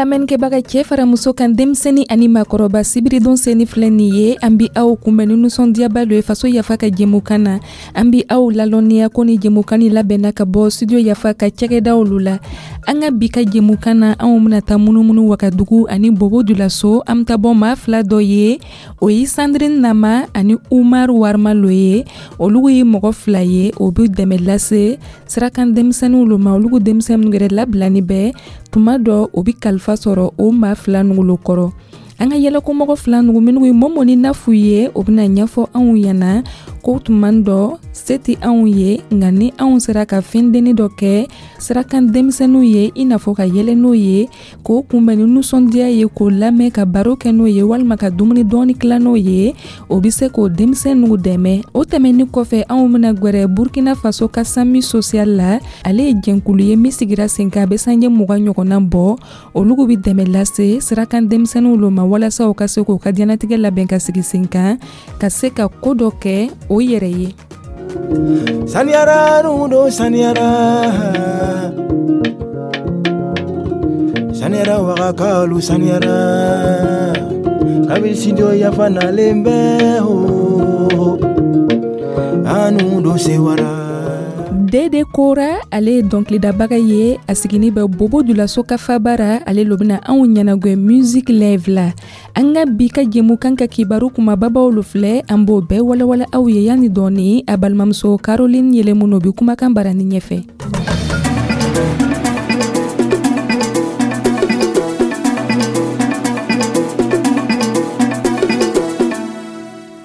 Lamɛnnikɛbaga, cɛ fara muso kan, denmisɛnnin ani maakɔrɔba, sibiridon seni filɛ nin ye, an bi aw kunbɛn ni nisɔndiyaba lo ye Faso Yafa ka jɛmukan na. An bi aw lalɔnniya ko ni jɛmukan ni labɛnna ka bɔ Studio Yafa ka cɛgɛdaw lu la. An ka bi ka jɛmukan na, anw bena ta munumunu Wagadugu ani Bobo Julaso. An be ta bɔ maa fila dɔ ye, o ye Sandrine Nama ani Umar Warma lo ye. Olugu ye mɔgɔ fila ye, o be dɛmɛ lase sirakan denmisɛnninw lo ma. Olugu denmisɛn minnu yɛrɛ labilani bɛ tuma dɔ, o be kalifa sɔrɔ o maa fila nugu lo kɔrɔ. An ka yɛlɛkomɔgɔ fila nugu minnu ye Mɔmɔ ni Nafu ye, o bɛna ɲɛfɔ anw ɲɛna ko tuma dɔ se tɛ anw ye, nka ni anw sera ka fɛn denni dɔ kɛ sirakan denmisɛnninw ye, i n'a fɔ ka yɛlɛ n'o ye, k'o kunbɛn ni nisɔndiya ye, k'o lamɛn, ka baro kɛ n'o ye, walima ka dumuni dɔɔni tila n'o ye, o bɛ se k'o denmisɛnninw dɛmɛ. O tɛmɛnin kɔfɛ, anw bɛna gwɛrɛ Burkina Faso ka SAMU Social la. Ale ye jɛnkulu ye min sigira sen kan, a bɛ sanjɛ 20 ɲɔgɔnna bɔ. Olugu bɛ dɛmɛ lase sirakan denmisɛnninw lo ma, walasa u ka se k'u ka diɲɛnatigɛ labɛn ka sigi sen kan, ka se ka ko dɔ kɛ o yɛrɛ ye. Saniyara do, saniyara, saniyara, wagakalu saniyara, kabini Studio Yafa nalen bɛ ho, anu do sewara. Dede Kora, ale ye dɔnkilidabaga ye, a sigini bɛ Bobo Julaso ka fabara. Ale lo bena anw ɲɛnagwɛ musique live la. An ka bi ka jɛmukan ka kibaru kumababaw lo filɛ, an b'o bɛɛ walawala aw ye yanni dɔɔni. A balimamuso Caroline Yɛlɛmuno bi kumakan barani ɲɛfɛ.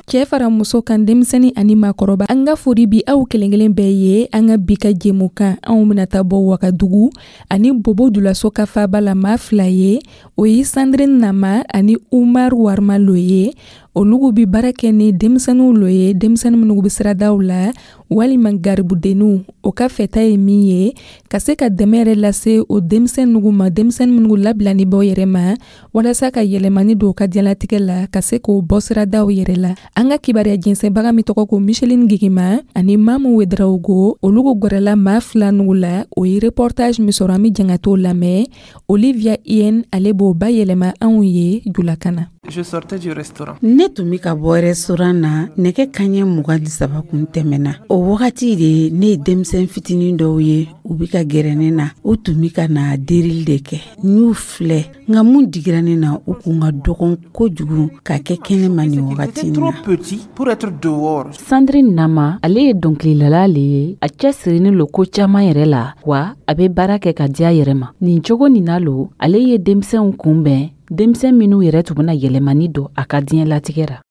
Cɛɛ fara muso kan, denmisɛni ani maakɔrɔba, an ka fori bi aw kelen kelen bɛɛ ye. An ka bi ka jɛmukan, anw bena taa bɔ Wagadugu ani Bobo Julaso ka faba la maa fila ye, o ye Sandrine Nama ani Umar Warma lo ye. Olugu bi baara kɛ ni denmisɛniw lo ye, denmisɛni minnu be siradaw la walima garibudenninw. O ka fɛta ye min ye, ka se ka dɛmɛ yɛrɛ lase o denmisɛn nugu ma, denmisɛni minnu labilani bɔ yɛrɛ ma, walasa ka yɛlɛmani don u ka diɲɛlatigɛ la, ka se k'o bɔ siradaw yɛrɛ la. An ka kibaruya jɛnsɛnbaga min tɔgɔ ko Micheline Gigima ani Mamu Wedraogo, olugu gwɛrɛla maa fila nugu la. O ye reportage min sɔrɔ, an be jɛn ka t'o lamɛn. Olivia Ien, ale b'o bayɛlɛma anw ye julakan na. Je sortais du restaurant. Ne tun bɛ ka bɔ restaurant na, nɛgɛ kaɲɛ 23 kun tɛmɛna. O wagati de, ne ye denmisɛn fitinin dɔw ye, u bɛ ka gɛrɛ ne na. U tun bɛ ka na derili de kɛ. N y'u filɛ, nka mun digira ne na, u kun ka dɔgɔn kojugu ka kɛ kɛnɛma nin wagati in na. Trop petit pour être dehors. Sandrine Nama, ale ye dɔnkililala le ye. A cɛsirinin lo ko caaman yɛrɛ la, wa a be baara kɛ ka diya yɛrɛ ma. Nin cogo nin na lo, ale ye denmisɛnw kunbɛn, denmisɛn minw yɛrɛ tun bena yɛlɛmani don a ka diɲɛlatigɛ ra.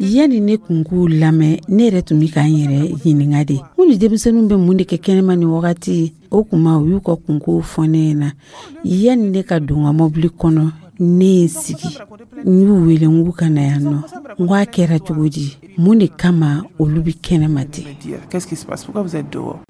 Yanni ne kun k'u lamɛn, ne yɛrɛ tun bɛ ka n yɛrɛ ɲininka de, ko ni denmisɛnninw bɛ mun de kɛ kɛnɛma nin wagati? O kuma, u y'u ka kunkow fɔ ne ɲɛna. Yanni ne ka don n ka mɔbili kɔnɔ, ne ye sigi, n y'u wele, n k'u ka na yan nɔ. N ko a kɛra cogo di? Mun de kama olu bɛ kɛnɛma ten?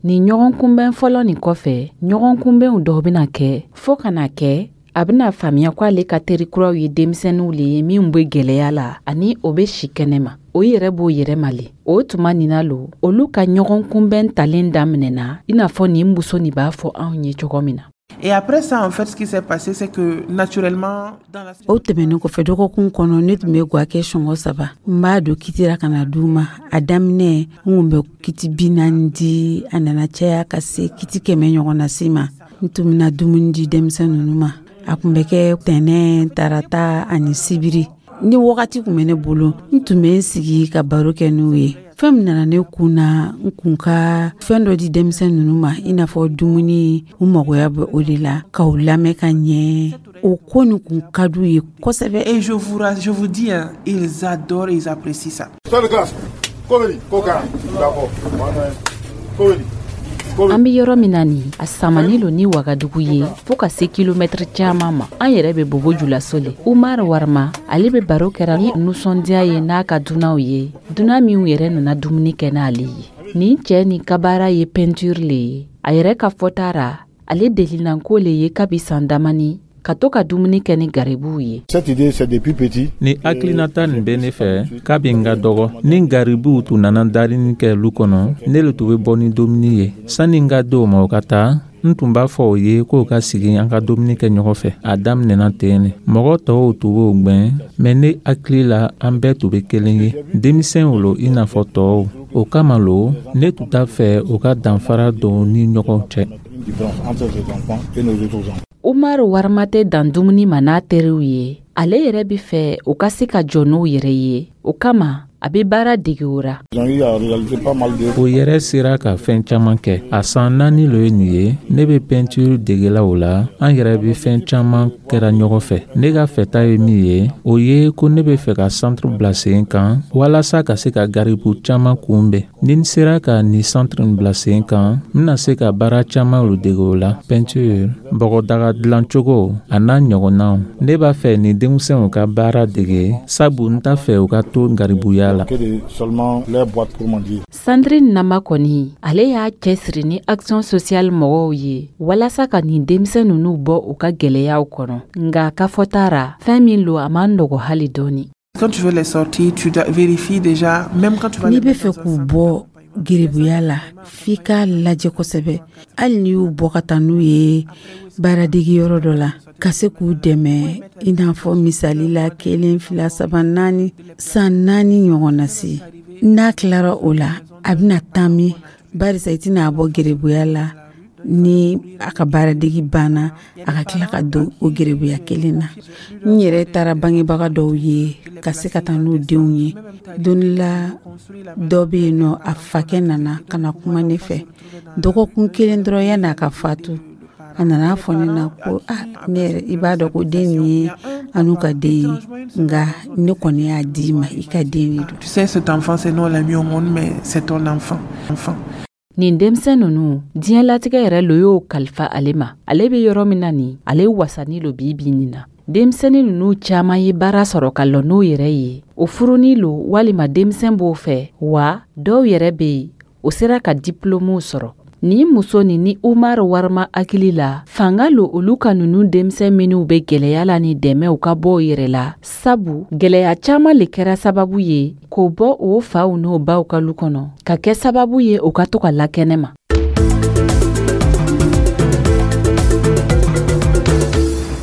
Nin ɲɔgɔn kunbɛn fɔlɔ nin kɔfɛ, ɲɔgɔn kunbɛnw dɔw bena kɛ fɔɔ ka na kɛ a bɛna faamuya ko ale ka teri kuraw ye denmisɛnninw le ye minw be gwɛlɛya la ani o be si kɛnɛma, o yɛrɛ b'o yɛrɛ ma le. O tuma nin na lo, olu ka ɲɔgɔn kunbɛn talen daminɛna, i n'a fɔ nin muso nin b'a fɔ anw ye cogo min na. Et après ça, en fait, ce qui s'est passé, c'est que naturellement, dans la O tɛmɛnen kɔfɛ, dɔgɔkun kɔnɔ, ne tun bɛ gwa kɛ sɔngɔ saba. N b'a don kitira ka na d'u ma. A daminɛ, n kun bɛ kiti 40 di, a nana caya ka se kiti 100 ɲɔgɔn na se ma. N tun bɛna dumuni di denmisɛn ninnu ma. A tun bɛ kɛ tɛnɛ, tarata ani sibiri. Ni wagati tun bɛ ne bolo, n tun bɛ n sigi ka baro kɛ n'u ye. Fɛn min nana ne kun na, n kun ka fɛn dɔ di denmisɛn ninnu ma, i n'a fɔ dumuni, u magoya bɛ o de la, k'u lamɛn ka ɲɛ. O ko nin kun ka d'u ye kosɛbɛ. Et je vous dis, hein, ils adorent, ils apprécient ça. D'accord. An be yɔrɔ min na nin, a samani lo ni Wagadugu ye fɔɔ ka se kilomɛtiri caaman ma. An yɛrɛ be Bobo Julaso le. Umar Warma, ale be baro kɛra ni nusɔndiya ye n'a ka dunanw ye, dunan minw yɛrɛ nana dumuni kɛ n'ale ye. Nin cɛɛ nin ka baara ye peinture le ye. A yɛrɛ ka fɔta ra, ale delinanko le ye kabi san damani ka to ka dumuni kɛ ni garibuw ye. Cette idée, c'est depuis petit. Ni hakilinata nin bɛ ne fɛ kabi n ka dɔgɔ. Ni garibuw tun nana darini kɛ lu kɔnɔ, ne le tun bɛ bɔ ni dumuni ye sani n ka di o ma o ka taa. N tun b'a fɔ o ye k'o ka sigi an ka dumuni kɛ ɲɔgɔn fɛ. A daminɛna ten ne. Mɔgɔ tɔw tun b'o gwɛn, mais ne hakili la an bɛɛ tun bɛ kelen ye. Denmisɛnw lo i n'a fɔ tɔw. O kama lo, ne tun t'a fɛ o ka danfara don u ni ɲɔgɔn cɛ. Umaru Warima tɛ dan dumuni ma n'a teriw ye. Ale yɛrɛ bɛ fɛ u ka se ka jɔ n'u yɛrɛ ye. O kama, a bɛ baara dege o ra. O yɛrɛ sera ka fɛn caman kɛ. A san 4 lo ye nin ye, ne bɛ peinture degela o la. An yɛrɛ bɛ fɛn caman kɛra ɲɔgɔn fɛ. Ne ka fɛta ye min ye, o ye ko ne bɛ fɛ ka centre bila sen kan walasa ka se ka garibu caman kunbɛn. Ni n sera ka nin centre bila sen kan, n bɛna se ka baara caman lo dege o la. Peinture, bɔgɔdaga dilancogo a n'a ɲɔgɔnnaw. Ne b'a fɛ nin denmisɛnw ka baara dege, sabu n t'a fɛ u ka to garibuya la. Sandrine Nama kɔni, ale y'a cɛsiri ni Action Sociale mɔgɔw ye walasa ka nin denmisɛn ninnu bɔ u ka gɛlɛyaw kɔnɔ. Nka ka fɔta ra, fɛn min lo, a man nɔgɔ hali dɔɔni. Quand tu veux les sortir, tu vérifies déjà, même quand tu vas N'i bɛ fɛ k'u bɔ gerebuya la, f'i k'a lajɛ kosɛbɛ. Hali n'i y'u bɔ ka taa n'u ye baaradege yɔrɔ dɔ la, ka se k'u dɛmɛ, i n'a fɔ misali la, kelen, fila, saba, naani, san 4 ɲɔgɔn na se, n'a tilara o la, a bɛna taa min? Barisa i tɛna a bɔ gerebuya la, ni a ka baaradege banna, a ka tila ka don o gerebuya kelen na. N yɛrɛ taara bangebaga dɔw ye ka se ka taa n'u denw ye. Don la dɔ bɛ yen nɔ, a fakɛ nana ka na kuma ne fɛ dɔgɔkun kelen dɔrɔn yanni a ka fatu. A nana fɔ ne na ko: "Ah, ne yɛrɛ, i b'a dɔn ko den nin ye an n'u ka den ye, nka ne kɔni y'a di ma, i ka den de don." Tu sais, cet enfant, c'est non le mieux au monde, mais c'est ton enfant. Enfant. Nin denmisɛn ninnu, diɲɛlatigɛ yɛrɛ lo y'o kalifa ale ma. Ale bɛ yɔrɔ min na nin, ale wasani lo bi bi nin na. Denmisɛnnin ninnu caman ye baara sɔrɔ ka lɔ n'o yɛrɛ ye. O furuni lo walima denmisɛn b'o fɛ wa, dɔw yɛrɛ bɛ yen, o sera ka diplômew sɔrɔ. Nin muso nin ni Umaru Warima hakili la, fanga lo olu ka ninnu denmisɛn minnu bɛ gɛlɛya la ni dɛmɛ u ka bɔ u yɛrɛ la, sabu gɛlɛya caman le kɛra sababu ye k'o bɔ o faw n'o baw ka lu kɔnɔ, ka kɛ sababu ye u ka to ka lakɛnɛ ma.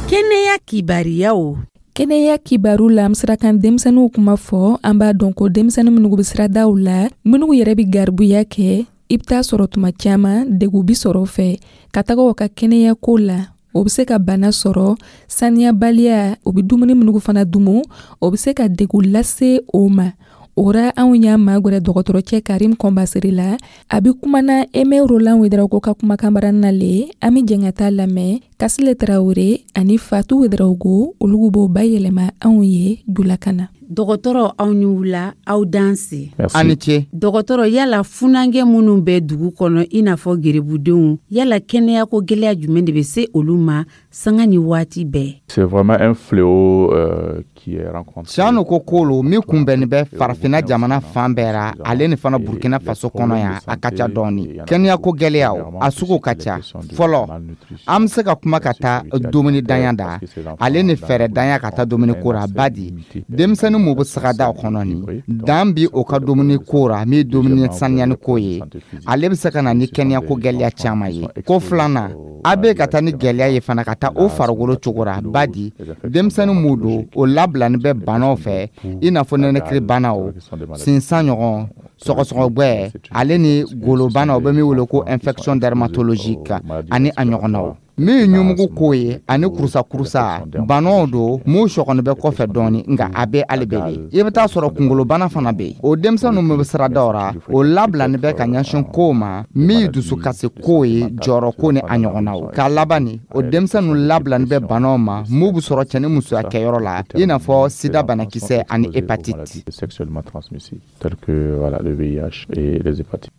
Kɛnɛya kibariyaw. Kɛnɛya kibaru la, an sera kan denmisɛnninw kuma fɔ. An b'a dɔn ko denmisɛnnin minnu bɛ siradaw la, minnu yɛrɛ bɛ garibuya kɛ, i bɛ taa sɔrɔ tuma caman degun bi sɔrɔ o fɛ ka taga o ka kɛnɛya ko la. O bɛ se ka bana sɔrɔ, saniyabaliya, o bɛ dumuni minnu fana dumu, o bɛ se ka degun lase o ma. O ra, anw y'a magɛrɛ dɔgɔtɔrɔcɛ Karim Kɔnbasiri la. A bɛ kumana Aimé Roland Ouédraogo ka kumakan baranina le. An bɛ jɛn ka taa lamɛn. Kasile Tarawele ani Fatou Ouédraogo, olu b'o bayɛlɛma anw ye julakan na. Dɔgɔtɔrɔ, aw ni wula, aw danse. Aw ni ce. Dɔgɔtɔrɔ, yala funankɛ minnu bɛ dugu kɔnɔ, i n'a fɔ gerebudenw, yala kɛnɛyako gɛlɛya jumɛn de bɛ se olu ma sanga ni waati bɛɛ? C'est vraiment un fléau qui est rencontré. Tiɲɛ ko lo min kunbɛnni bɛ Farafinna jamana fan bɛɛ ra, ale ni fana Burkina Faso kɔnɔ yan, a ka ca dɔɔni. Kɛnɛyako gɛlɛyaw, a sugu ka ca. Fɔlɔ, an bɛ se ka kuma ka taa dumuni danya da, ale ni fɛɛrɛ danya ka taa dumuni ko ra. Badi denmisɛnnin mun bɛ sagadaw kɔnɔ nin, dan bi o ka dumuni ko ra, min ye dumuni saniyani ko ye, ale bɛ se ka na ni kɛnɛyako gɛlɛya caman ye. Ko filanan, a bɛ ka taa ni gɛlɛya ye fana ka taa o farikolo cogo ra. Badi denmisɛnnin mun don, o labilani bɛ banaw fɛ, i n'a fɔ nɛnɛkiri banaw, sinsan ɲɔgɔn, sɔgɔsɔgɔgbɛ, ale ni golobana, o bɛ min wele ko infection dermatologique, ani a ɲɔgɔnnaw. Min ye ɲumugu ko ye ani kurusa-kurusa banaw don, mun sɔgɔni bɛ kɔfɛ dɔɔni, nka a bɛ hali bɛ i bɛ taa sɔrɔ kunkolobana fana bɛ yen. O denmisɛnninw min bɛ siradaw ra, o labilani bɛ ka ɲɛsin kow ma min ye dusukasi ko ye, jɔyɔrɔ ko ni a ɲɔgɔnnaw. K'a laban ni o denmisɛnninw labilani bɛ banaw ma mun bɛ sɔrɔ cɛ ni musoya kɛyɔrɔ la, i n'a fɔ sida banakisɛ ani hépatite.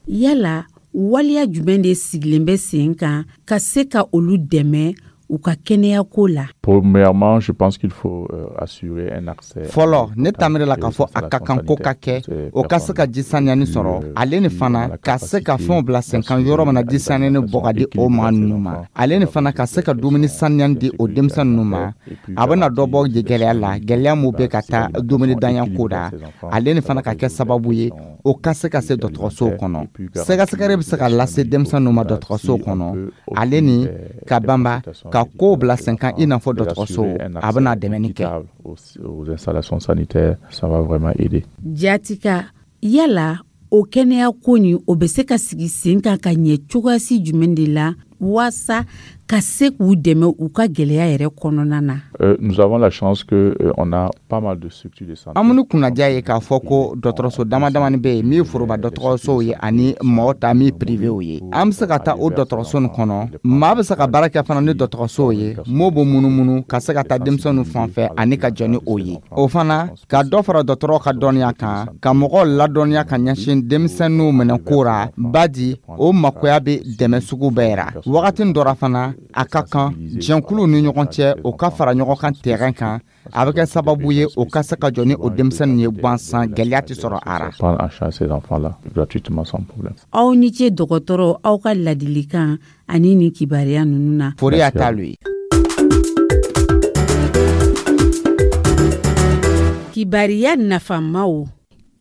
Yala waleya jumɛn de sigilen bɛ sen kan ka se ka olu dɛmɛ u ka kɛnɛyako la? Premièrement, je pense qu'il faut assurer un accès. Fɔlɔ, ne tamiri la k'a fɔ a ka kan ko ka kɛ, o ka se ka ji saniyani sɔrɔ, ale ni fana ka se ka fɛnw bila sen kan yɔrɔ min na ji saniyani bɔ ka di o maa ninnu ma, ale ni fana ka se ka dumuni saniyani di o denmisɛn ninnu ma. A bɛna dɔ bɔ gɛlɛya la, gɛlɛya mun bɛ ka taa dumuni danya ko da, ale ni fana ka kɛ sababu ye O ka se ka se dɔgɔtɔrɔsow kɔnɔ, sɛgɛsɛgɛli bɛ se ka lase denmisɛnninw ma dɔgɔtɔrɔsow kɔnɔ, ale ni ka banba ka kow bila sen kan, i n'a fɔ dɔgɔtɔrɔso, a bɛna dɛmɛni kɛ. Aux installations sanitaires, ça va vraiment aider. Jatika, yala o kɛnɛya ko nin, o bɛ se ka sigi sen kan ka ɲɛ cogoyasi jumɛn de la waasa ka se k'u dɛmɛ u ka gɛlɛya yɛrɛ kɔnɔna na? Nous avons la chance que on a pas mal de structures de santé. An minnu kunnaja ye k'a fɔ ko dɔgɔtɔrɔso dama damani bɛ yen min ye foroba dɔgɔtɔrɔsow ye ani mɔgɔ ta min privéw ye. An bɛ se ka taa o dɔgɔtɔrɔso nin kɔnɔ, maa bɛ se ka baara kɛ fana ni dɔgɔtɔrɔsow ye m'o b'o munumunu ka se ka taa denmisɛnninw fan fɛ ani ka jɔ ni o ye. O fana ka dɔ fara dɔgɔtɔrɔw ka dɔnniya kan, ka mɔgɔw ladɔnniya ka ɲɛsin denmisɛnninw minɛko ra, badi o makoya bɛ dɛmɛ sugu bɛɛ ra. Wagati dɔ ra fana, a ka kan jɛnkuluw ni ɲɔgɔn cɛ, o ka fara ɲɔgɔn kan terrain kan. A bɛ kɛ sababu ye o ka se ka jɔ ni o denmisɛnnin ye gansan, gɛlɛya tɛ sɔrɔ a ra. Prendre en charge ces enfants-là gratuitement, sans problème. Aw ni ce, dɔgɔtɔrɔ, aw ka ladilikan ani nin kibaruya ninnu na. Fori t'alu ye. Kibaruya nafamaw.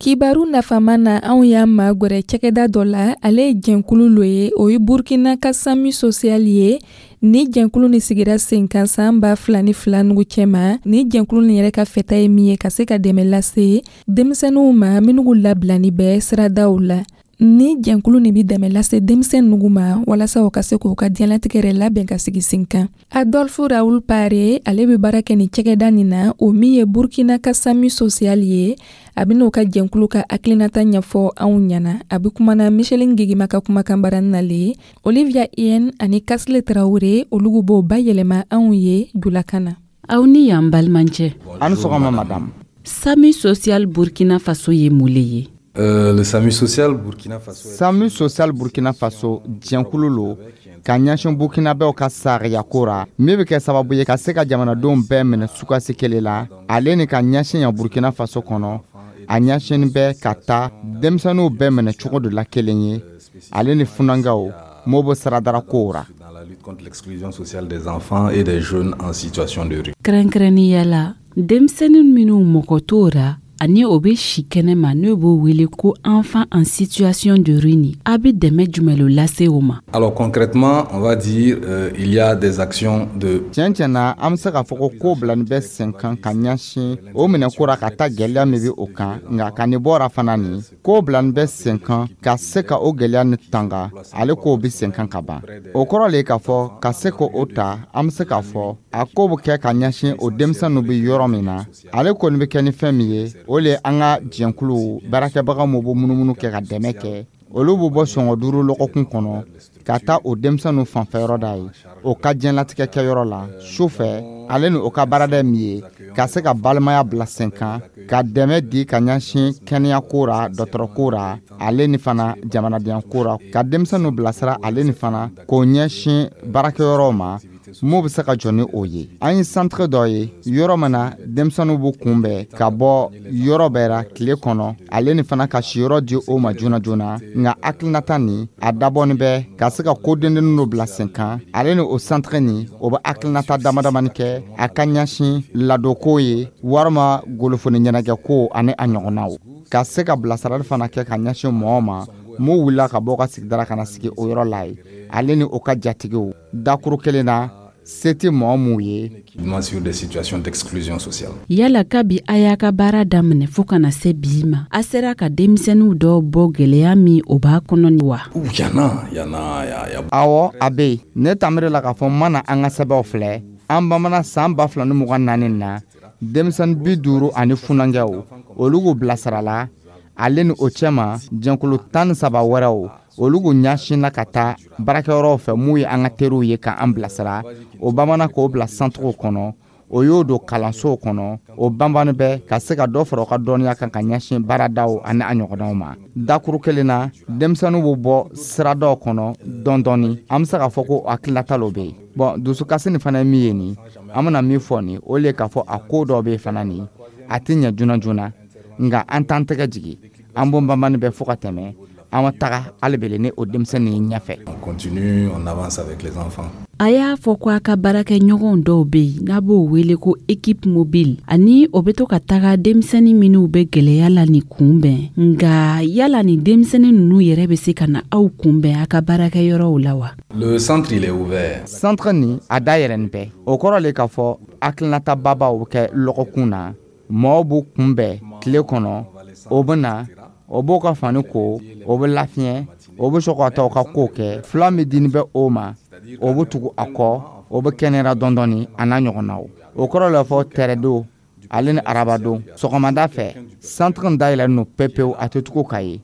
Kibaru nafama na, anw y'a magwɛrɛ cakɛda dɔ la. Ale ye jɛnkulu lo ye, o ye Burkina ka SAMU Social ye. Ni jɛnkulu ni sigira sen kan san 2002 nugu cɛma, ni jɛnkulu ni yɛrɛ ka fɛta ye min ye, ka se ka dɛmɛ lase denmisɛnninw ma minnu labilani bɛ siradaw la. Ni jɛnkulu nin bi dɛmɛ lase denmisɛn nugu ma walasa o ka se k'u ka diɲɛlatigɛ yɛrɛ labɛn ka sigi sen kan. Adolphe Raoul Pare, ale bɛ baara kɛ nin cakɛda nin na, o min ye Burkina ka SAMU Social ye. A bɛn'o ka jɛnkulu ka hakilinata ɲɛfɔ anw ɲɛna. A bɛ kumana Micheline Gegema ka kumakan baara nale. Olivia Ien ani Kasile Traoré, olu b'o bayɛlɛma anw ye julakan na. Aw ni yan, balimacɛ. An sɔgɔma, madame. SAMU Social Burkina Faso ye mun le ye? Le SAMU Social Burkina Faso. SAMU Social Burkina Faso jɛnkulu lo ka ɲɛsin burkinabɛw ka sariyako ra, min bɛ kɛ sababu ye ka se ka jamanadenw bɛɛ minɛ sukasi kelen la, ale ni ka ɲɛsin yan Burkina Faso kɔnɔ. A ɲɛsin bɛ ka taa denmisɛnninw bɛɛ minɛ cogo dɔ la kelen ye, ale ni funankɛw m'o bɛ siradara kow ra. Dans la lutte contre l'exclusion sociale des enfants et des jeunes en situation de rue. Kɛrɛnkɛrɛnnenya la, denmisɛnnin minnu mɔgɔ t'o ra ani o bɛ si kɛnɛma, n'o b'o wele ko enfant en situation de rue ni, a bɛ dɛmɛ jumɛn lo lase o ma? Alors concrètement, on va dire il y a des actions de Tiɲɛ tiɲɛ na, an bɛ se k'a fɔ ko ko bilani bɛ sen kan ka ɲɛsin o minɛko ra ka taa gɛlɛya min bɛ o kan. Nka ka nin bɔra fana, nin ko bilani bɛ sen kan ka se ka o gɛlɛya ni tanga, ale k'o bɛ sen kan ka ban. O kɔrɔ le ye k'a fɔ ka se k'o ta, an bɛ se k'a fɔ a ko bɛ kɛ ka ɲɛsin o denmisɛnninw bɛ yɔrɔ min na. Ale kɔni bɛ kɛ ni fɛn min ye, o le an ka jɛnkulu baarakɛbaga minnu bɛ munumunu kɛ ka dɛmɛ kɛ, olu bɛ bɔ sɔngɔ 5 lɔgɔkun kɔnɔ ka taa o denmisɛnninw fanfɛyɔrɔ da ye, o ka diɲɛlatigɛ kɛyɔrɔ la su fɛ. Ale ni o ka baarada min ye ka se ka balimaya bila sen kan, ka dɛmɛ di ka ɲɛsin kɛnɛyako ra, dɔgɔtɔrɔko ra, ale ni fana jamanadenyako ra, ka denmisɛnninw bilasira, ale ni fana k'o ɲɛsin baarakɛyɔrɔw ma m'o bɛ se ka jɔ ni o ye. An ye centre dɔ ye yɔrɔ min na denmisɛnninw b'u kunbɛn ka bɔ yɔrɔ bɛɛ ra tile kɔnɔ, ale ni fana ka siyɔrɔ di o ma joona joona. Nka hakilinata nin, a dabɔnin bɛ ka se ka ko dendennin dɔ bila sen kan. Ale ni o centre nin, o bɛ hakilinata dama damani kɛ a ka ɲɛsin ladonko ye, walima golofoni ɲɛnajɛko ani a ɲɔgɔnnaw, ka se ka bilasirali fana kɛ ka ɲɛsin mɔgɔw ma m'o wulila ka bɔ ka sigidara ka na sigi o yɔrɔ la ye, ale ni o ka jatigiw dakuru kelen na, se tɛ mɔgɔ mun ye. Sur des situations d'exclusion sociale. Yala kabi a y'a ka baara daminɛ fo ka na se bi ma, a sera ka denmisɛnninw dɔw bɔ gwɛlɛya min o b'a kɔnɔ ni wa? Ouh, il y en a, il y en a, il y a Awɔ, a bɛ yen. Ne tamiri la k'a fɔ n mana an ka sɛbɛnw filɛ, an bamanan san 2024 na, denmisɛnnin 50 ani funankɛw, olu k'u bilasirala, ale ni o cɛma jɛnkulu 13 wɛrɛw, olu k'u ɲɛsinna ka taa baarakɛyɔrɔw fɛ mun ye an ka teriw ye k'an bilasira. O bamanan k'o bila centrew kɔnɔ, o y'o don kalansow kɔnɔ, o banbani bɛ ka se ka dɔ fara u ka dɔnniya kan ka ɲɛsin baaradaw ani a ɲɔgɔnnaw ma. Dakuru kelen na, denmisɛnninw bɛ bɔ siradaw kɔnɔ dɔɔni dɔɔni. An bɛ se k'a fɔ ko hakilinata dɔ bɛ yen. Bɔn, dusukasi nin fana ye min ye nin, an bɛna min fɔ nin, o le ye k'a fɔ a ko dɔw bɛ yen fana nin, a tɛ ɲɛ joona joona, nka an t'an tɛgɛ jigin. An b'o banbani bɛ fo ka tɛmɛ, an ma taga hali bele ni o denmisɛnnin ye ɲɛfɛ. On continue, on avance avec les enfants. A y'a fɔ ko a ka baarakɛɲɔgɔnw dɔw bɛ yen n'a b'o wele ko équipe mobile, ani o bɛ to ka taga denmisɛnnin minnu bɛ gwɛlɛya la nin kunbɛn. Nka yala nin denmisɛnnin ninnu yɛrɛ bɛ se ka na aw kunbɛn a ka baarakɛyɔrɔw la wa? Le centre, il est ouvert. Centre nin, a dayɛlɛnin bɛ. O kɔrɔ le k'a fɔ hakilinata babaw bɛ kɛ lɔgɔkun na, mɔgɔw b'u kunbɛn tile kɔnɔ. O bɛ na, o b'o ka fani ko, o bɛ lafiɲɛ, o bɛ sɔrɔ ka taa o ka kow kɛ. Fila min dini bɛ o ma, o bɛ tugu a kɔ, o bɛ kɛnɛya dɔɔni dɔɔni, a n'a ɲɔgɔnnaw. O kɔrɔ le fɔ tɛrɛdon ale ni arabadon sɔgɔmada fɛ, centre in dayɛlɛlen don pepewu, a tɛ tugu ka ye.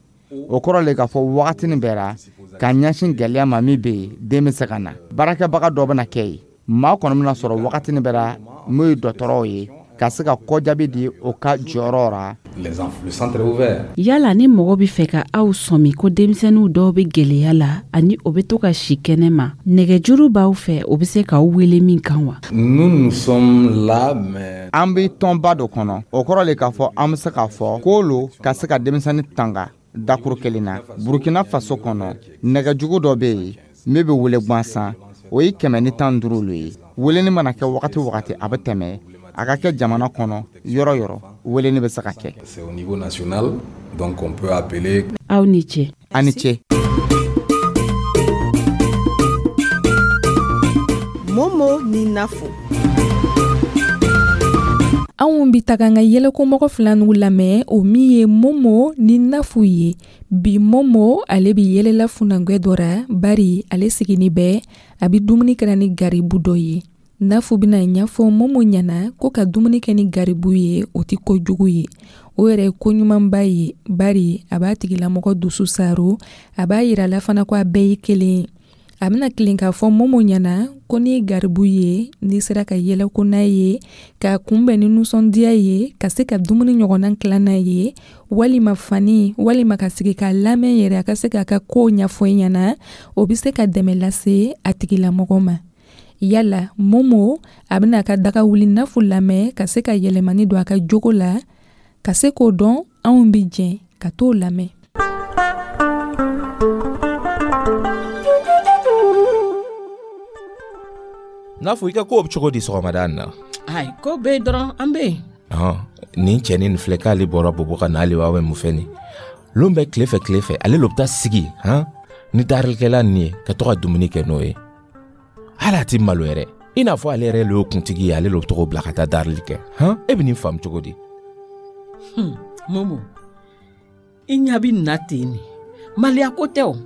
O kɔrɔ le k'a fɔ wagatinin bɛɛ ra, ka ɲɛsin gɛlɛya ma min bɛ yen, den bɛ se ka na. Baarakɛbaga dɔ bɛna kɛ yen, maa kɔni bɛna sɔrɔ wagatinin bɛɛ ra n'o ye dɔgɔtɔrɔw ye, ka se ka kɔjaabi di o ka jɔyɔrɔ ra. Le centre est ouvert. Yala ni mɔgɔ bɛ fɛ ka aw sɔmi ko denmisɛnninw dɔw bɛ gwɛlɛya la ani o bɛ to ka si kɛnɛ ma, nɛgɛjuru b'aw fɛ, o bɛ se k'aw wele min kan wa? Nous, nous sommes là, mais An bɛ tɔnba dɔ kɔnɔ. O kɔrɔ le k'a fɔ an bɛ se k'a fɔ ko lo ka se ka denmisɛnnin tanga dakuru kelen na Burukina Faso kɔnɔ. Nɛgɛjugu dɔ bɛ yen min bɛ wele gansan, o ye 115 lo ye. Weleni mana kɛ wagati o wagati, a bɛ tɛmɛ. A ka kɛ jamana kɔnɔ yɔrɔ yɔrɔ, weleni bɛ se ka kɛ. C'est au niveau national, donc on peut appeler. Aw ni ce. A ni ce. Momo ni Nafo. Anw bi taga an ka yɛlɛkomɔgɔ fila n'u lamɛn, o min ye Momo ni Nafu ye. Bi, Momo ale bi yɛlɛla funangwɛ dɔ ra, bari ale sigini bɛ a bi dumuni kɛra ni garibu dɔ ye. Nafu bɛna ɲɛfɔ Momo ɲɛna ko ka dumuni kɛ ni garibu ye, o tɛ kojugu ye, o yɛrɛ ye koɲumanba ye, bari a b'a tigilamɔgɔ dusu saro. A b'a yira la fana ko a bɛɛ ye kelen ye. A bɛna tilen k'a fɔ Momo ɲɛna ko n'i ye garibu ye, n'i sera ka yɛlɛko n'a ye, k'a kunbɛn ni nisɔndiya ye, ka se ka dumuni ɲɔgɔnna tilan n'a ye, walima fani, walima ka sigi k'a lamɛn yɛrɛ, a ka se k'a ka kow ɲɛfɔ i ɲɛna, o bɛ se ka dɛmɛ lase a tigilamɔgɔ ma. Yala Momo a bɛna a ka daga wuli Nafu lamɛn ka se ka yɛlɛmani don a ka jogo la, ka se k'o dɔn? Anw bɛ jɛn ka t'o lamɛn. N'a fɔ i ka kow bɛ cogo di sɔgɔmada in na? Ayi, ko bɛ yen dɔrɔn, an bɛ yen. Ɔhɔn, nin cɛnin nin filɛ k'ale bɔra Bobo ka na, ale b'a bɛ mun fɛ nin lon bɛɛ, tile fɛ tile fɛ, ale lo bɛ taa sigi han ni darilikɛla nin ye ka to ka dumuni kɛ n'o ye. Hali a ti malo yɛrɛ, i n'a fɔ ale yɛrɛ le y'o kuntigi ye, ale lo bɛ tɔgɔ bila ka taa darili kɛ han. E bɛ nin faamu cogo di? Momo, i ɲa bɛ nin na ten nin, maliya ko tɛ o.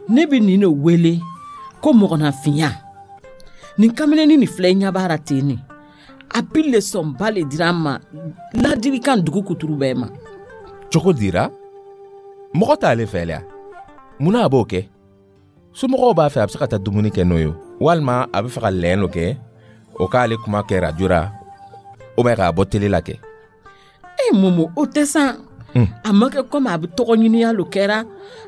Ne bɛ nin de wele ko mɔgɔnafinya. Nin kamalennin nin filɛ, i ɲɛ b'a la ten nin, a bi lesɔnba le dira an ma, ladilikan dugu kuturu bɛɛ ma. Cogo dira mɔgɔ t'ale fɛ lɛ, munna a b'o kɛ? Somɔgɔw b'a fɛ a bɛ se ka taa dumuni kɛ n'o ye, walima a bɛ fɛ ka lɛn dɔ kɛ, o k'ale kuma kɛ radio ra, ou bien k'a bɔ télé la kɛ. E Momo, o tɛ san. A ma kɛ komi a bɛ tɔgɔ ɲiniya lo kɛra,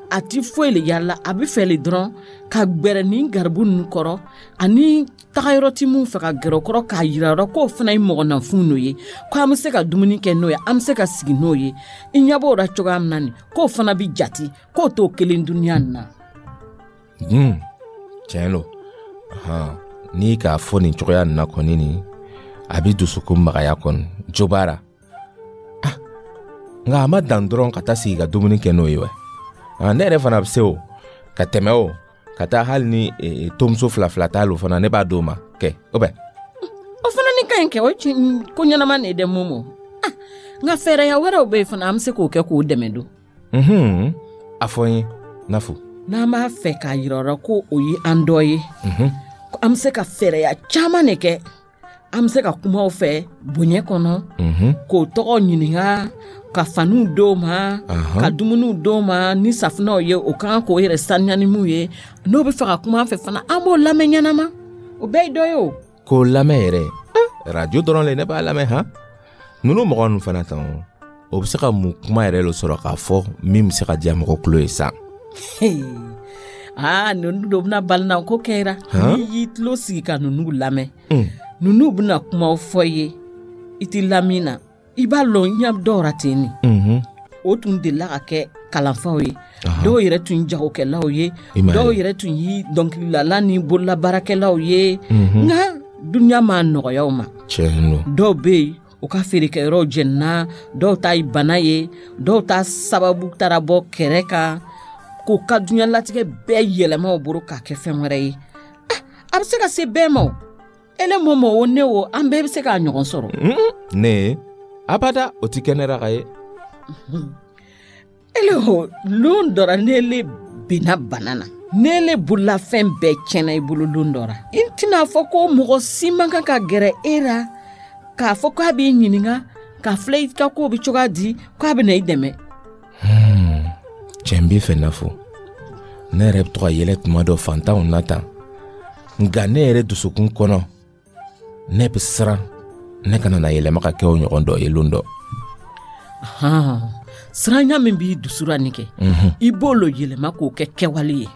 a ti foyi le yala, a bɛ fɛ le dɔrɔn ka gbɛrɛ nin garibu ninnu kɔrɔ, ani tagayɔrɔ ti mun fɛ ka gɛrɛ o kɔrɔ, k'a yira yɔrɔ k'o fana ye mɔgɔnafin n'o ye, ko an bɛ se ka dumuni kɛ n'o ye, an bɛ se ka sigi n'o ye. I ɲɛ b'o la cogoya min na nin, k'o fana bɛ jate k'o t'o kelen dunuya nin na. Tiɲɛ lo, n'i k'a fɔ nin cogoya nin na kɔni, nin a bɛ dusukun magaya kɔni, jo b'a la. Nka a ma dan dɔrɔn ka taa sigi ka dumuni kɛ n'o ye wa? Ne yɛrɛ fana bɛ se o ka tɛmɛ o ka taa, hali ni tomuso fila fila t'a lo fana, ne b'a d'o ma kɛ o bɛ. O fana ni ka ɲi kɛ, o ko ɲɛnama de ye dɛ Momo. Nka fɛɛrɛya wɛrɛw bɛ yen fana, an bɛ se k'o kɛ k'o dɛmɛ don. A fɔ n ye, Nafu. N'an b'a fɛ k'a yira o la ko o ye an dɔ ye, an bɛ se ka fɛɛrɛya caman de kɛ. An bɛ se ka kuma o fɛ bonya kɔnɔ, k'o tɔgɔ ɲininka, ka faniw d'o ma, ka dumuniw d'o ma ni safunɛw ye, o kan k'o yɛrɛ saniya ni mun ye. N'o bɛ fɛ ka kuma an fɛ fana, an b'o lamɛn ɲɛnama. O bɛɛ ye dɔ ye o. K'o lamɛn yɛrɛ, radio dɔrɔn le ne b'a lamɛn han. Ninnu mɔgɔ ninnu fana tan, o bɛ se ka mun kuma yɛrɛ lo sɔrɔ k'a fɔ min bɛ se ka diya mɔgɔ tulo ye sa? Aa, ninnu dɔ bɛna balina ko kɛra. N'i y'i tulo sigi ka ninnu lamɛn, ninnu bɛna kumaw fɔ i ye, i t'i lamin na. I b'a lɔn ɲɛ dɔw ra ten nin. o tun delila ka kɛ kalanfaw ye, dɔw yɛrɛ tun jagokɛlaw ye, dɔw yɛrɛ tun ye dɔnkililala ni bololabaarakɛlaw ye. Nka dunuya m'a nɔgɔya o ma. Dɔw bɛ yen, u ka feerekɛyɔrɔw jɛnina, dɔw ta ye bana ye, dɔw ta sababu taara bɔ kɛrɛ kan, k'u ka dunuya latigɛ bɛɛ yɛlɛma o bolo k'a kɛ fɛn wɛrɛ ye. A bɛ se ka se bɛɛ ma o. Ele mɔmɔ o, ne o, an bɛɛ bɛ se k'a ɲɔgɔn sɔrɔ. Ne abada, o ti kɛ ne ra ka ye. Ele o, lon dɔ ra, n'ele binna bana na, n'ele bololafɛn bɛɛ tiɲɛna i bolo lon dɔ ra, i tɛna fɔ ko mɔgɔ si man kan ka gɛrɛ e ra k'a fɔ k'a b'i ɲininka k'a filɛ i ka kow bɛ cogoya di, k'a bɛ na i dɛmɛ. Cɛ, n b'i fɛ Nafo. Ne yɛrɛ bɛ to ka yɛlɛ tuma dɔ fantanw na tan, nka ne yɛrɛ dusukun kɔnɔ, ne bɛ siran ne kana na yɛlɛma ka kɛ o ɲɔgɔn dɔ ye lon dɔ. Siranya min b'i dusu ra nin kɛ, i b'o lo yɛlɛma k'o kɛ kɛwale ye.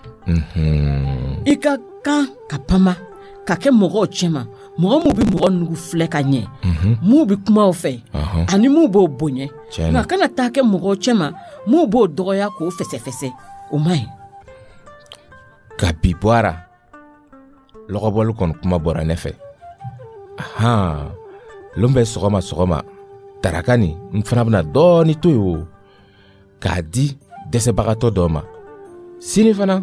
I ka kan ka pama ka kɛ mɔgɔw cɛma, mɔgɔ minnu bɛ mɔgɔ nugu filɛ ka ɲɛ, minnu bɛ kuma o fɛ ani minnu b'o bonya, nka kana taa kɛ mɔgɔw cɛma minnu b'o dɔgɔya k'o fɛsɛfɛsɛ. O man ɲi. Ka bi bɔ a ra, lɔgɔbɔli kɔni kuma bɔra ne fɛ. Ahan, lon bɛ sɔgɔma sɔgɔma, taraka nin, n fana bɛna dɔɔni to yen o k'a di dɛsɛbagatɔ dɔ ma. Sini fana,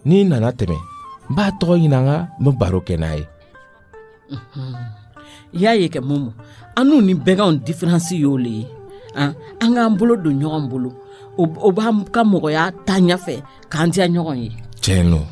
n'i nana tɛmɛ, n b'a tɔgɔ ɲininka, n bɛ baro kɛ n'a ye. I y'a ye kɛ, Momo, an n'u ni bɛganw différence y'o le ye. An k'an bolo don ɲɔgɔn bolo, o b'an ka mɔgɔya taa ɲɛfɛ k'an diya ɲɔgɔn ye. Tiɲɛ don.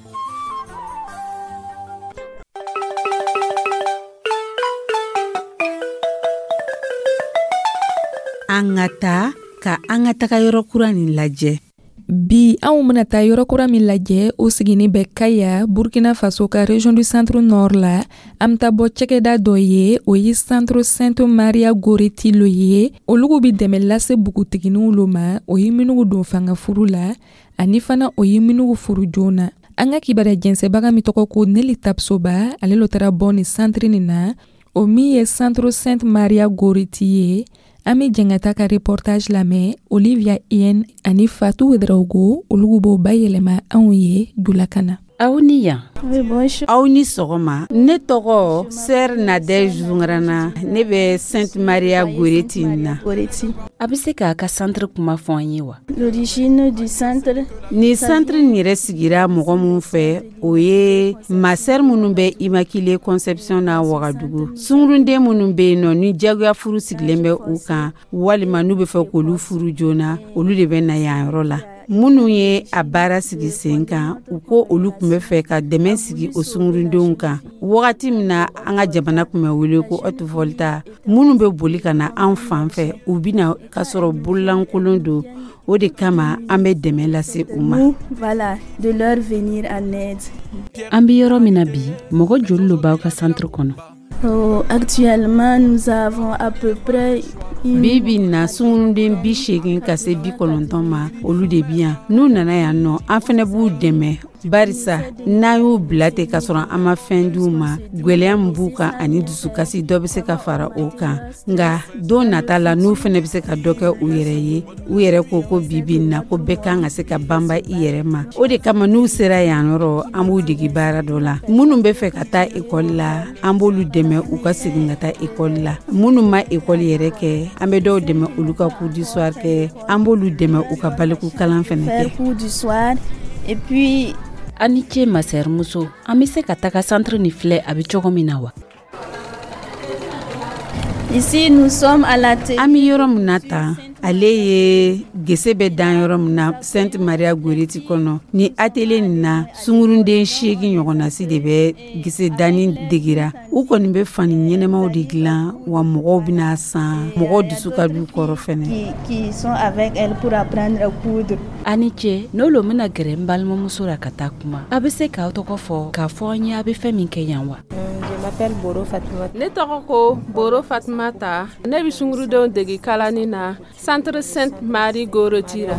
An ka taa ka an ka taga yɔrɔ kura nin lajɛ. Bi, anw bena taa yɔrɔ kura min lajɛ, o sigini bɛ Kaya, Burkina Faso ka région du centre nord la. An be taa bɔ cɛkɛda dɔ ye, o ye Centre Sainte Maria Goreti lo ye. Olugu bi dɛmɛ lase bugutiginiw lo ma, o ye minugu don fanga furu la, ani fana o ye minugu furu joona. An ka kibaruya jɛnsɛbaga min tɔgɔ ko Neli Tapsoba, ale lo taara bɔ nin centre nin na, o min ye Centre Sainte Maria Goreti ye. An bɛ jɛn ka taa ka reportage lamɛn. Olivia Ien ani Fatou Ouedraogo, olu b'o bayɛlɛma anw ye julakan na. Aw ni yan. Aw ni sɔgɔma. Ne tɔgɔ Sœur Nadège Zungrana. Ne bɛ Sainte Maria Goreti na. A bɛ se k'a ka centre kuma fɔ an ye wa? L'origine du centre. Ni centre nin yɛrɛ sigira mɔgɔ min fɛ, o ye ma sœur minnu bɛ Immaculée Conception na Wagadugu. Sungurunden minnu bɛ yen nɔ, ni jagoya furu sigilen bɛ u kan, walima n'u bɛ fɛ k'olu furu joona, olu de bɛ na yan yɔrɔ la. Minnu ye a baara sigi sen kan, u ko olu tun bɛ fɛ ka dɛmɛ sigi o sungurudenw kan wagati min na an ka jamana tun bɛ wele ko Haute-Volta. Minnu bɛ boli ka na an fan fɛ, u bɛ na k'a sɔrɔ bololankolon don. O de kama an bɛ dɛmɛ lase u ma. Voilà, de leur venir en aide. An bɛ yɔrɔ min na bi, mɔgɔ joli lo b'aw ka centre kɔnɔ? Oh, actuellement, nous avons à peu près Bi bi na, sungurunden 80 ka se 90 ma, olu de bi yan. N'u nana yan nɔ, an fɛnɛ b'u dɛmɛ, barisa n'an y'u bila ten k'a sɔrɔ an ma fɛn d'u ma, gwɛlɛya min b'u kan ani dusukasi, dɔ bɛ se ka fara o kan. Nka don nata la, n'u fɛnɛ bɛ se ka dɔ kɛ u yɛrɛ ye. U yɛrɛ ko ko bi bi na, ko bɛɛ kan ka se ka banba i yɛrɛ ma. O de kama, n'u sera yan yɔrɔ, an b'u degi baara dɔ la. Minnu bɛ fɛ ka taa ekɔli la, an b'olu dɛmɛ u ka segin ka taa ekɔli la. Minnu ma ekɔli yɛrɛ kɛ, an bɛ dɔw dɛmɛ olu ka cours du soir kɛ, an b'olu dɛmɛ u ka baliku kalan fɛnɛ kɛ. Cours du soir et puis. A ni ce, ma sœur muso. An bɛ se ka taga centre nin filɛ a bɛ cogo min na wa? Ici, nous sommes à la An bɛ yɔrɔ min na tan, ale ye gese bɛ dan yɔrɔ min na Sainte Maria Goreti kɔnɔ. Ni atelier nin na, sungurunden 8 ɲɔgɔnnasi de bɛ gese danni degira. U kɔni bɛ fani ɲɛnɛmaw de dilan wa, mɔgɔw bɛna san, mɔgɔw dusu ka d'u kɔrɔ fɛnɛ. Qui sont avec elle pour apprendre à coudre. A ni ce. N'olu bɛna gɛrɛ n balimamuso la ka taa kuma, a bɛ se k'aw tɔgɔ fɔ k'a fɔ an ye a bɛ fɛn min kɛ yan wa? Ne tɔgɔ ko Boro Fatumata. Ne bɛ sungurudenw degi kalani na Centre Sainte Marie Goroti la.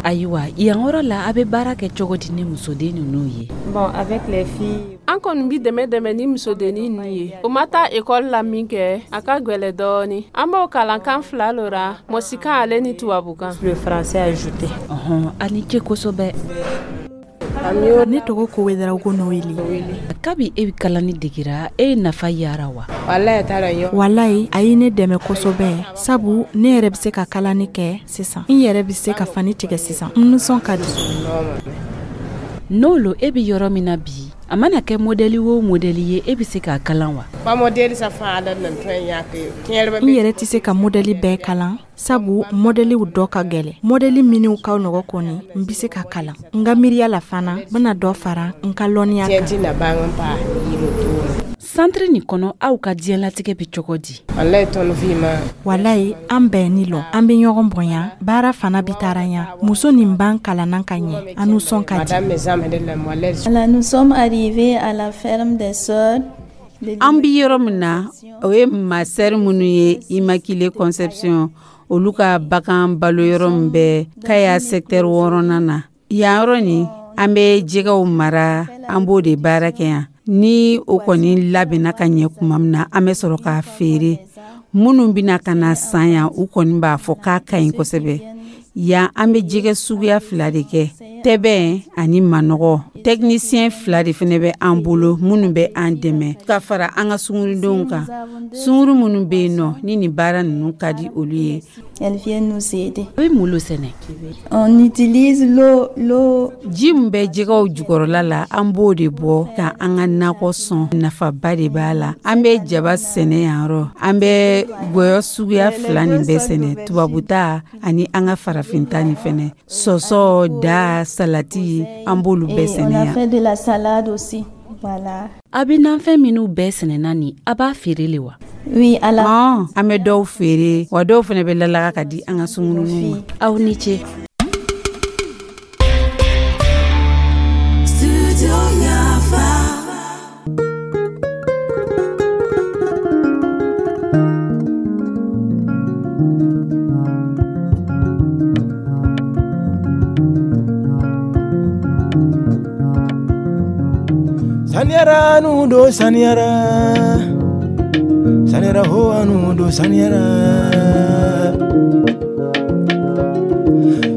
Ayiwa, yan yɔrɔ la, a bɛ baara kɛ cogo di ni musoden ninnu ye? Bon, avec les filles. An kɔni bi dɛmɛ dɛmɛ ni musodennin nin ye. O ma taa ekɔli la min kɛ, a ka gwɛlɛ dɔɔni. An b'o kalan kan fila lo ra, mɔsikan ale ni tubabukan. Le français ajouté. Ɔhɔn, a ni ce kosɛbɛ. Ne tɔgɔ ko Ouédraogo Noélie. Kabi e bɛ kalani degira, e ye nafa yara wa? Walayi, a ye ne dɛmɛ kosɛbɛ, sabu ne yɛrɛ bɛ se ka kalani kɛ sisan. N yɛrɛ bɛ se ka fani tigɛ sisan. N nisɔn ka di. N'o lo, e bɛ yɔrɔ min na bi, a mana kɛ modɛli o modɛli ye, e bɛ se k'a kalan wa? N yɛrɛ tɛ se ka modɛli bɛɛ kalan, sabu modɛliw dɔ ka gɛlɛn. Modɛli minnu ka nɔgɔ kɔni, n bɛ se ka kalan. N ka miiriya la fana, n bɛna dɔ fara n ka lɔnniya kan. Santiri nin kɔnɔ, aw ka diɲɛlatigɛ bɛ cogo di? Walayi, an bɛnnin lo, an bɛ ɲɔgɔn bonya, baara fana bɛ taara ɲɛ. Muso nin b'an kalanna ka ɲɛ, an nisɔn ka di. Nous sommes arrivés à la ferme des sœurs. An bi yɔrɔ min na, o ye masɛri minnu ye Immaculée Conception, olu ka bagan balo yɔrɔ min bɛ Kaya secteur 6nan na. Yan yɔrɔ nin, an bɛ jɛgɛw mara, an b'o de baara kɛ yan. Ni o kɔni labɛnna ka ɲɛ tuma min na, an bɛ sɔrɔ k'a feere. Minnu bɛna ka na san yan, u kɔni b'a fɔ k'a ka ɲi kosɛbɛ. Yan, an bɛ jɛgɛ suguya fila de kɛ, tɛbɛn ani manɔgɔ. Technicien fila de fana bɛ an bolo minnu bɛ an dɛmɛ ka fara an ka sungurudenw kan. Sunguru minnu bɛ yen nɔ ni nin baara ninnu ka di olu ye. Elles viennent nous aider. A bɛ mun lo sɛnɛ? On utilise l'eau, l'eau. Ji min bɛ jɛgɛw jukɔrɔla la, an b'o de bɔ ka an ka nakɔ sɔn. Nafaba de b'a la. An bɛ jaba sɛnɛ yan yɔrɔ. An bɛ gɔyɔ suguya fila nin bɛɛ sɛnɛ, tubabuta ani an ka farafinta nin fɛnɛ. Sɔsɔ, da, salati, an b'olu bɛɛ sɛnɛ yan. On a fait de la salade aussi. Voilà. A bɛ nafɛn minnu bɛɛ sɛnɛna nin, a b'a feere le wa? Oui, à la... An bɛ dɔw feere, wa dɔw fana bɛ lalaga ka di an ka sunguruninw ma. Aw ni ce. Saniyara nu do saniyara, saniyara ho anu do saniyara,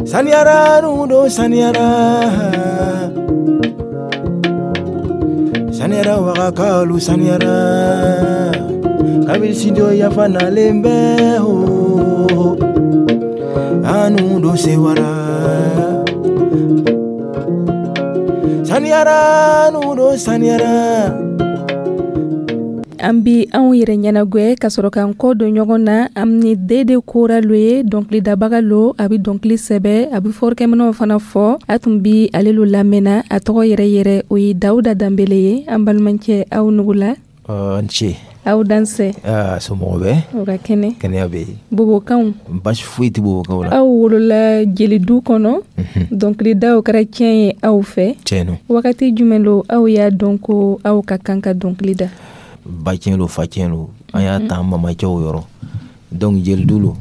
saniyara nu do saniyara, saniyara wagakalu saniyara, kabiri sido yafa nalen bɛ ho, anu do sewara. Saniyara nu do saniyara. An bi anw yɛrɛ ɲɛnagwɛ ka sɔrɔ k'an kɔ don ɲɔgɔn na. An ni Dede Kora lo ye, dɔnkilidabaga lo, a bɛ dɔnkili sɛbɛ, a bɛ fɔlikɛminɛw fana fɔ. A tun bi ale lo lamɛnna, a tɔgɔ yɛrɛ yɛrɛ o ye Dawuda Danbele ye. An balimacɛ, aw nugula. N ce. Aw dansɛ. Somɔgɔw bɛ? O ka kɛnɛ. Kɛnɛya bɛ yen. Bobokanw. Basi foyi tɛ bobokanw la. Aw wolola jelidu kɔnɔ. Dɔnkilidaw kɛra tiɲɛ ye aw fɛ. Tiɲɛ don. Wagati jumɛn lo aw y'a dɔn ko aw ka kan ka dɔnkili da? Ba tiɲɛ lo, fa tiɲɛ lo. An y'a ta an mamacɛw yɔrɔ. Donc jelidu lo.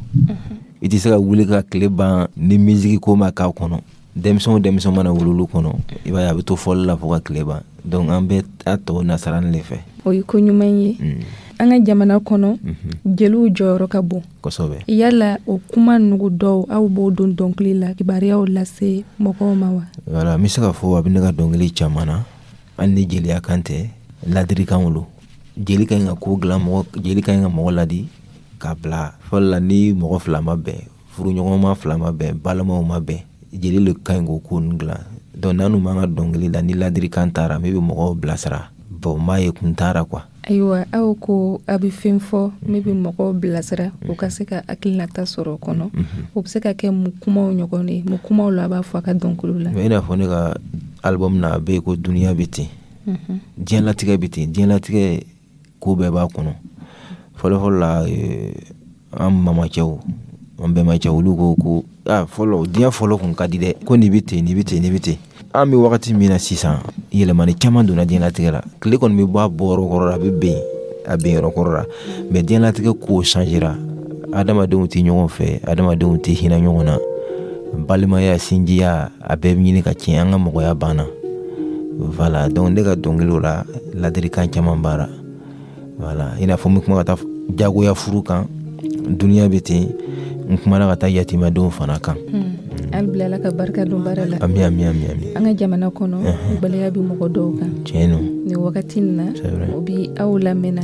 I tɛ se ka wuli ka tile ban ni musique ko ma k'a kɔnɔ. Denmisɛn o denmisɛn mana wuli olu kɔnɔ, i b'a ye a bɛ to fɔli la fo ka tile ban. Donc an bɛ a tɔ nasarani de fɛ. O ye ko ɲuman ye. An ka jamana kɔnɔ, jeliw jɔyɔrɔ ka bon. Kosɛbɛ. Yala o kuma nugu dɔw, aw b'o don dɔnkili la, kibaruyaw lase mɔgɔw ma wa? Voilà, n bɛ se k'a fɔ a bɛ ne ka dɔnkili caman na. Hali ni jeliya kan tɛ, ladirikanw lo. Jeli ka ɲi ka ko dilan, mɔgɔ jeli ka ɲi ka mɔgɔ ladi k'a bila fɔlɔ la. Ni mɔgɔ fila ma bɛn, furuɲɔgɔnma fila ma bɛn, balimaw ma bɛn, jeli le ka ɲi k'o ko ninnu dilan. Donc n'an b'an ka dɔnkili la, ni ladirikan taara min bɛ mɔgɔw bilasira, bon n b'a ye kun taara quoi. Ayiwa, aw ko a bɛ fɛn fɔ min bɛ mɔgɔw bilasira, u ka se ka hakilinata sɔrɔ o kɔnɔ. O bɛ se ka kɛ mun kumaw ɲɔgɔn ye? Mun kumaw la a b'a fɔ a ka dɔnkiliw la? I n'a fɔ ne ka album na, a bɛ yen ko duniya bɛ ten, diɲɛlatigɛ bɛ ten, diɲɛlatigɛ ko bɛɛ b'a kɔnɔ. Fɔlɔfɔlɔ la, an mamacɛw, an bɛnbacɛw, olu ko ko fɔlɔ diɲɛ fɔlɔ kun ka di dɛ, ko nin bɛ ten, nin bɛ ten, nin bɛ ten. An bɛ wagati min na sisan, yɛlɛmani caman donna diɲɛlatigɛ la. Tile kɔni bɛ bɔ a bɔyɔrɔ kɔrɔ la, a bɛ ben a ben yɔrɔ kɔrɔ la, mais diɲɛlatigɛ kow changera. Adamadenw tɛ ɲɔgɔn fɛ, adamadenw tɛ hinɛ ɲɔgɔn na, balimaya, sinjiya, a bɛɛ bɛ ɲini ka tiɲɛ. An ka mɔgɔya banna. Voilà, donc ne ka dɔnkiliw la, ladilikan caman b'a la. Voilà, i n'a fɔ n bɛ kuma ka taa jagoya furu kan, duniya bɛ ten. N kumana ka taa yatimɛdenw fana kan. Hali bi Ala ka barika don baara la. Ami, ami, ami, ami. An ka jamana kɔnɔ, gwɛlɛya bɛ mɔgɔ dɔw kan. Tiɲɛ don. Nin wagati in na, C'est vrai. o bi aw lamɛnna.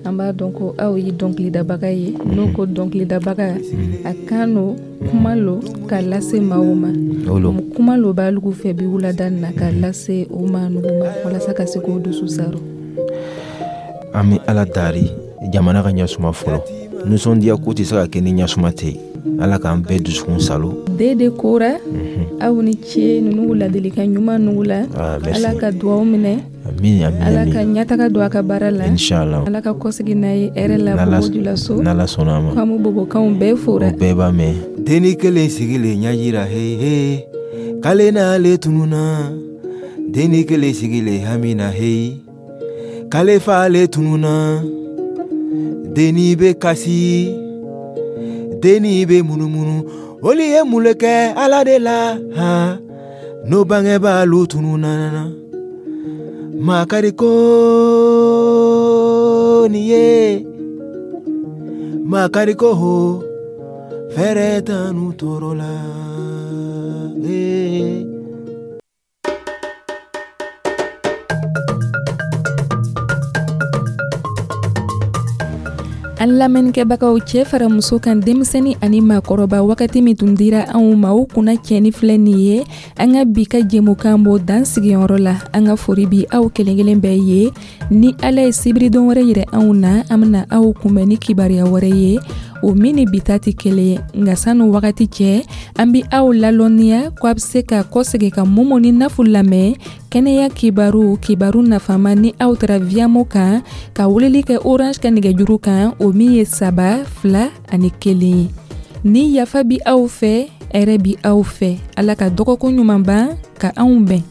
An b'a dɔn ko aw ye dɔnkilidabaga ye. N'o ko dɔnkilidabaga, a kan no kuma lo k'a lase maaw ma. O lo. Kuma lo b'alugu fɛ bi wulada in na k'a lase o maa nugu ma walasa ka se k'o dusu saro. An bɛ Ala dari jamana ka ɲɛsuma fɔlɔ. Nisɔndiya ko tɛ se ka kɛ ni ɲɛsuma tɛ yen. Ala k'an bɛɛ dusukun salo. Dede Kora, aw ni ce ninnu ladilikan ɲuman nugu la. Ah, merci. Ala ka duwawu minɛ. Amin, amin. Ala ka Amin. ɲɛtaga don a ka baara la. Inshallah. Ala ka kɔsegin n'a ye hɛrɛ la Bobo-Dioulasso. N'Ala sɔnna a ma. K'an b'u bobokanw bɛɛ fora. O bɛɛ b'a mɛn. Denni kelen sigilen ɲɛjira, hey hey, k'ale n'ale tununa. Denni kelen sigilen hamina, hey, k'ale f'ale tununa. Denni bɛ kasi, denni bɛ munumunu. Olu ye mun le kɛ Ala de la, ha? N'o bangebaalu tununa. Makari ko nin ye, makari ko ho, fɛrɛ t'anu tɔɔrɔ la. Eh. An lamɛnnikɛbagaw, cɛ fara muso kan, denmisɛnni ani maakɔrɔba, wagati min tun dira anw ma, o kunna cɛni filɛ nin ye. An ka bi ka jɛmukan b'o dan sigiyɔrɔ la. An ka fori bi aw kelen kelen bɛɛ ye. Ni Ala ye sibiridon wɛrɛ yira anw na, an bɛna aw kunbɛn ni kibaruya wɛrɛ ye, o min ni bi ta tɛ kelen ye. Nka sanu wagati cɛ, an bi aw lalɔnniya ko a bɛ se ka kɔsegin ka Momo ni Nafu lamɛn kɛnɛya kibaru, kibaru nafama, ni aw taara Viamo kan ka weleli kɛ Orange ka nɛgɛjuru kan, o min ye 3 2 ani 1 ye. Ni yafa bi aw fɛ, hɛrɛ bi aw fɛ. Ala ka dɔgɔkun ɲuman ban ka anw bɛn.